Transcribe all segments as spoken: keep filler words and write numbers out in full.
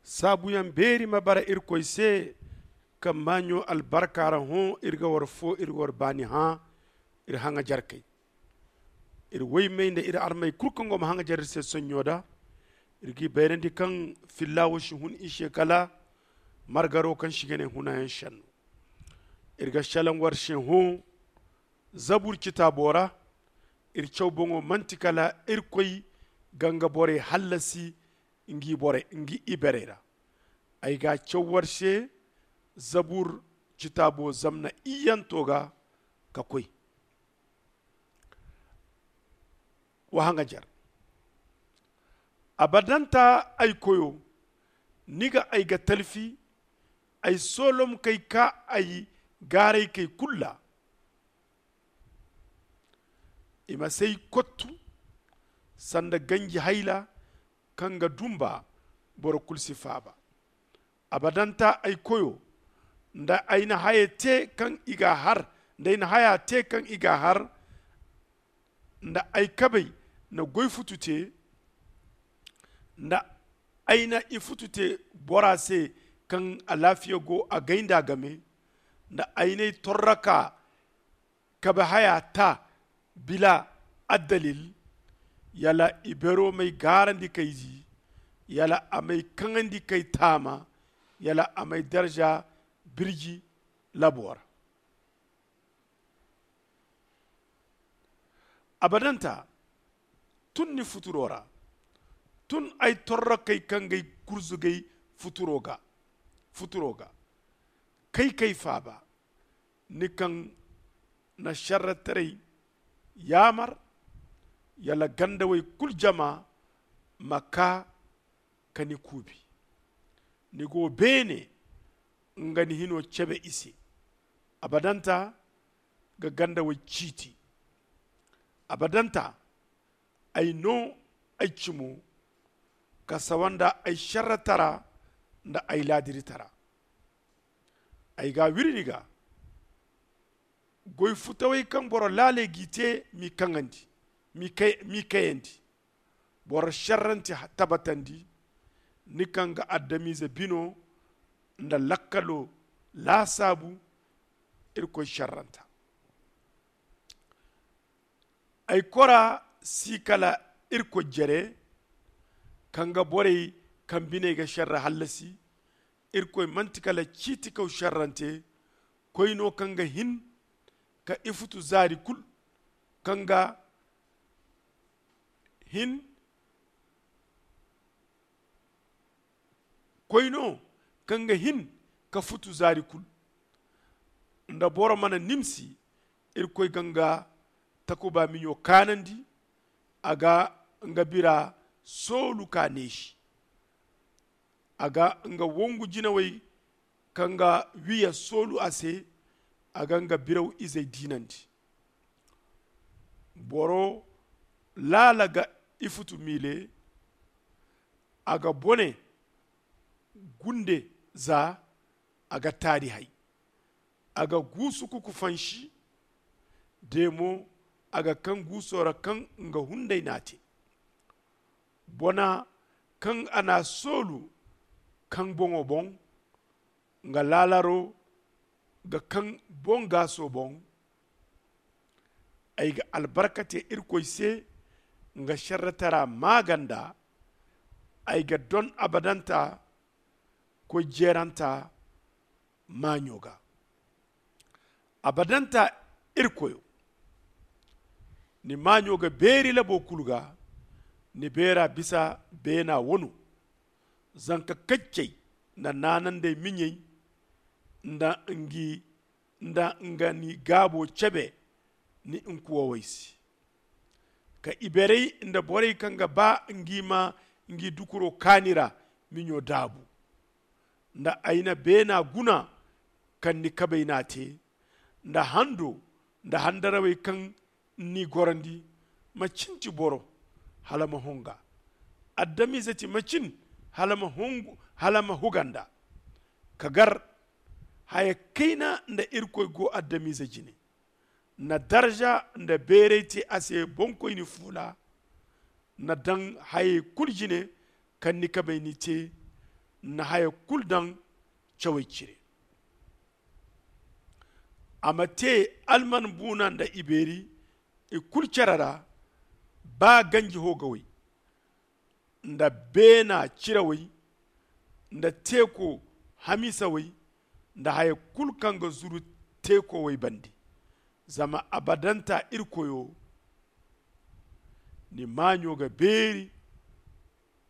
Saabuyaŋ beeri ma bara Irkoy se, kaŋ maaɲo albarka ra hõ iri ga war fo, iri ga war baani hã. Iri haŋajarkey, iri woymey nda iri armey kulu kaŋ go ma haŋajar iri se sonɲo da. Iri g'i bayrandi kaŋ fillaawo si hun i se kala margaro kaŋ si ga ne hunayaŋ senno. Iri ga selaŋ war se hõ zabur citaabo ra. Iri caw boŋo manti kala Irkoy ga nga borey hallasi ngi iberey ra. Ay ga a caw war se zabur citaabo zamna iyyanto ga ka koy. Wa haŋajar. Abadanta ay koyo, ni ga ay ga talfi. Ay soolomkey ka ay gaaraykey kulu ra. I ma s'ay kottu sanda ganji hayla kaŋ ga dumba boro kulu si faaba. Abadanta ay koyo, nda ay na haya te kaŋ i ga a har nda ay na haya te kaŋ i ga a har nda ay kabey na goy futu te nda ay na i futu te bora se kaŋ alaafiya go a gay nda a game nda ay n'ay torraka kabe haya ta bila addalil. Yala i bero m'ay gaarandi k'ay zi, yala a m'ay kaŋandi k'ay taama, yala a m'ay darza birji labo ra. Abadanta, tun ni futuro ra, tun ay torrokey kaŋ g'ay gurzugay futuro ga futuro ga kay k'ay faaba. Ni kaŋ na šerretaray yaamar, yala gandawey kulu jama ma kaa ka ni kuubi. Ni go beene nga ni hino cebe i se. Abadanta ga gandawey ciiti. Abadanta ay no ay cimo ka sawa nda ay šerretara nda ay laadiritara. Ay ga a wiri ni ga goy futawey kaŋ boro laaley g'i te m'i kaŋandi, m'i kayandi. Boro šerrante tabatandi. Ni kaŋ ga adamize bino nda lakkalo laasaabu. Irkoy šerranta ay kora si kala irkoy jere kaŋ ga borey kaŋ biney ga šerre hallasi. Irkoy manti kala ciitikaw šerrante koy no kaŋ ga hin ka ifutu zaari kulu kaŋ ga hin koy no kaŋ ga hin ka futu zaari kulu. Nda boro mana nimsi, irkoy ga nga takuba miɲo kaanandi. A ga nga bira soolu ka neesi. A ga nga wongu jinawey kaŋ ga wiya soolu a se. A ga nga biraw izey diinandi. Boro laala ga ifutu miile. A ga bone gunde za a ga taari hay. A ga guusu kuku fansi de mo. A ga kaŋ guuso ra kaŋ nga hunday n'a te. Bona kaŋ a n'a soolu kaŋ boŋo boŋ nga laalaro ga kaŋ boŋ gaaso boŋ. Ay ga albarka te irkoy se nga šerretara maaganda. Ay ga don abadanta koy jeeranta maaɲo ga. Abadanta irkoyo, ni maaɲo ga beeri labo kulu ga. Ni beera bisa beena wano. Zanka kaccey nda naanandey miɲey nda ngi nda nga ni gaabo cebe ni nkuwawey se. Ka iberey nda borey kaŋ ga ba ngi ma ngi dukuro kaani ra miɲo daabu. Nda ay na beena guna kaŋ ni kabey n'a te nda hando nda handarawey kaŋ ni gorandi. Ma cin ti boro hala ma honga. Adamize ti ma cin hala ma hongu hala ma huganda. Ka gar haya kayna nda irkoy go adamize jine. Na darza nda beeray te a se boŋkoyni fuula. Na daŋ hayey kulu jine kaŋ ni kabey ni te. na haya kulu daŋ cawey cire. A ma te alman buuna nda ibeeri i kulu care ra, ba ganji hoogawey nda beena cirawey nda teeko hamiisawey nda haya kulu kaŋ ga zuru teekowey bande. Zama abadanta irkoyo ni maaɲo ga beeri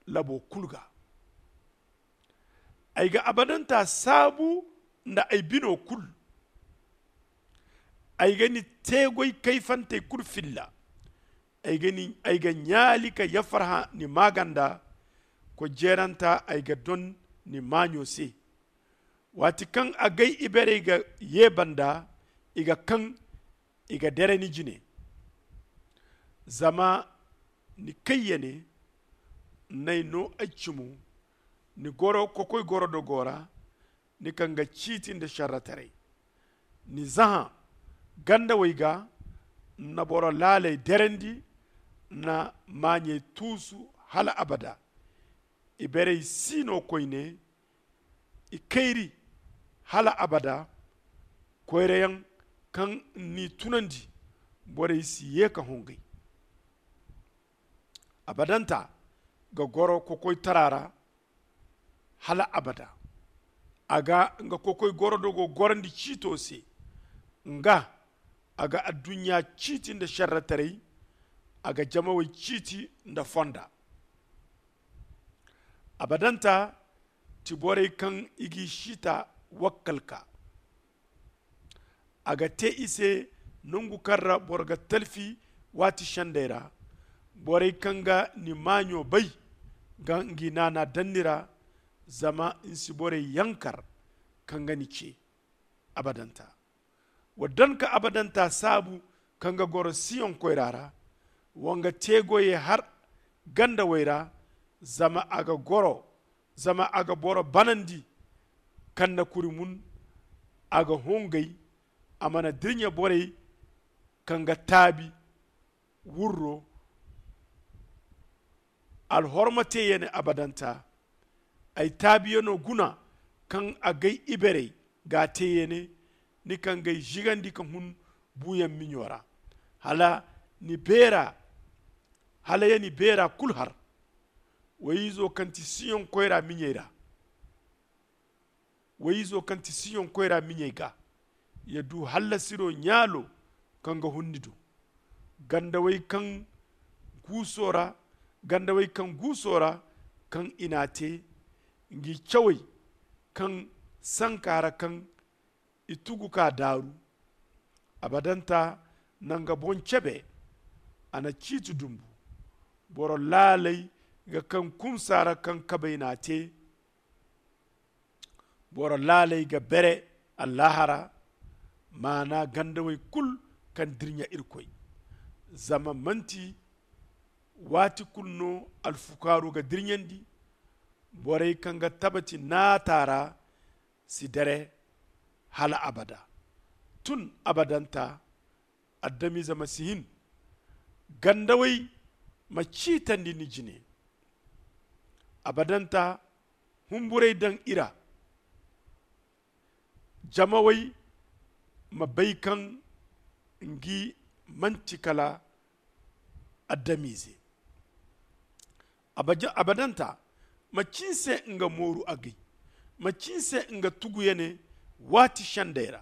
labo kulu ga. Ay ga abadanta saabu nda ay bino kulu. Ay ga ni teegoy kayfantey kulu filla. Ay ga ɲaali ka yafarhã ni maaganda. Koy jeeranta ay ga don ni maaɲo se. Waati kaŋ agay iberey ga ye banda, i ga kaŋ, i ga dere ni jine. Zama ni kayya ne, n'ay no ay cimo. Ni goro kokoy gorodogo ra, ni kaŋ ga ciiti nda šerretaray. Ni zahã gandawey ga, na boro laaley derandi. Na maaɲey tuusu hala abada. Iberey si no koyne. I kayri hala abada. Koyrayaŋ kaŋ n'i tunandi, borey si ye ka hongay. Abadanta ga goro kokoytara ra hala abada. A ga nga kokoy gorodogo gorandi ciito se. Nga a ga adduɲɲa ciiti nda šerretaray. A ga jamawey ciiti nda fonda. Abadanta ti borey kaŋ i g'i siita wakkal ka. A ga te i se nangu kaŋ ra boro ga talfi waati sendey ra. Borey kaŋ ga ni maaɲo bay ga ngi naana daŋ ni ra. Zama ni si borey yankar kaŋ ga ni ce abadanta. Wa daŋ ka abadanta saabu kaŋ ga goro siyoŋ koyra ra. Wa nga teegoyey har gandawey ra. Zama a ga goro zama a ga boro banandi. Kaŋ na kuri mun a ga hongay. A mana dirɲa borey kaŋ ga taabi wurro. Alhorma te ya ne abadanta. Ay taabiyano guna kaŋ agay iberey ga a te ya ne. Ni kaŋ gay zigandi ka hun buuyaŋ miɲo ra hala ni beera hala ya ni beera kulu har. Wayizo kaŋ ti siyoŋ koyra miɲey ra wayizo kaŋ ti siyoŋ koyra miɲey ga ya du hallasiro ɲaalo kaŋ ga hun ni do. Gandawey kaŋ guuso ra gandawey kaŋ guuso ra kaŋ i n'a te ngi cawey kaŋ sanka ra kaŋ i tugu ka daaru. Abadanta na nga boŋ cebe. A na ciiti dumbu boro laaley ga kaŋ kumsa ra kaŋ kabey n'a te. Boro laaley ga bere allaahara maana gandawey kulu kaŋ dirɲa irkoy. Zama manti waati kulu no alfukaaru ga dirɲandi. Borey kaŋ ga tabati naata ra si dere hala abada. Tun abadanta adamize ma si hin gandawey ma ciitandi ni jine. Abadanta humburey daŋ i ra. Jamawey ma bay kaŋ ngi manti kala adamize. Abadanta ma ci ni se nga mooru agay ma ci ni se nga tugu ya ne. Waati sendey ra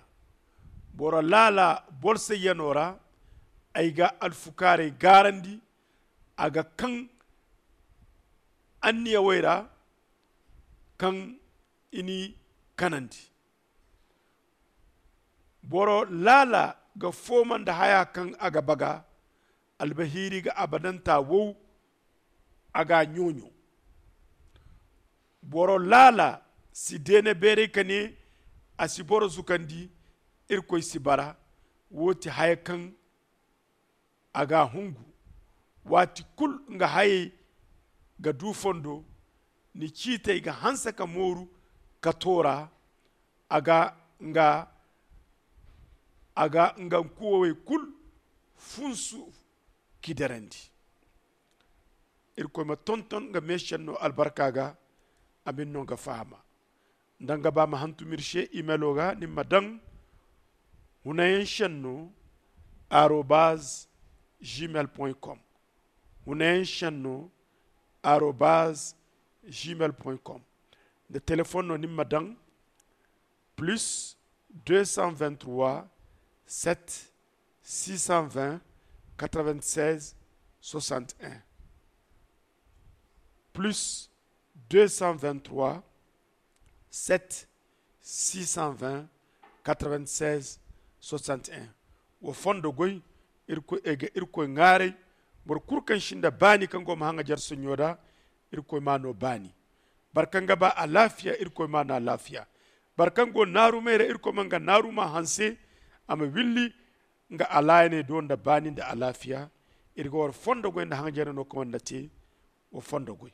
boro laala bolsayyano ra ay ga alfukaarey gaarandi. A ga kaŋ anniyawey ra kaŋ i n'i kanandi. Boro laala ga fooma nda haya kaŋ a ga baga. Albahiiri ga abadanta wow a ga a ɲooɲo. Boro laala si deene beeray ka ne a si boro zukandi. Irkoy si bara. Wo ti haya kaŋ a ga a hungu. Waati kulu nga hayey ga du fondo ni ciitey ga hanse ka mooru ka toora. A ga nga a ga nga kuwowey kulu funsu k'i darandi. Irkoy ma tonton nga meesenno albarka ga. A ma ni no nga fahama. Nda nga ba ma hantum iri se imelo ga ni ma daŋ hunayaŋ senno arobaz gmail point com. Hunayaŋ senno arobaz gmail point com. Nda telefon no ni ma daŋ plus deux cent vingt trois sept six cent vingt quatre vingt seize soixante un. Plus deux cent vingt trois sept six cent vingt quatre vingt seize soixante un. Wa fondo goy. Irkoy ay ga irkoy ŋaaray. Boro kulu kaŋ sinda baani kaŋ go ma haŋajer soɲo da irkoy ma no baani. Boro kaŋ ga ba alaafiya irkoy ma no alaafiya. Boro kaŋ go naarumay ra irkoy ma nga naaruma hanse a ma willi nga alaayaney do nda baani nda alaafiya. Iri ga war fondo goy nda haŋajerey no kaŋ war na te. Wa fondo goy.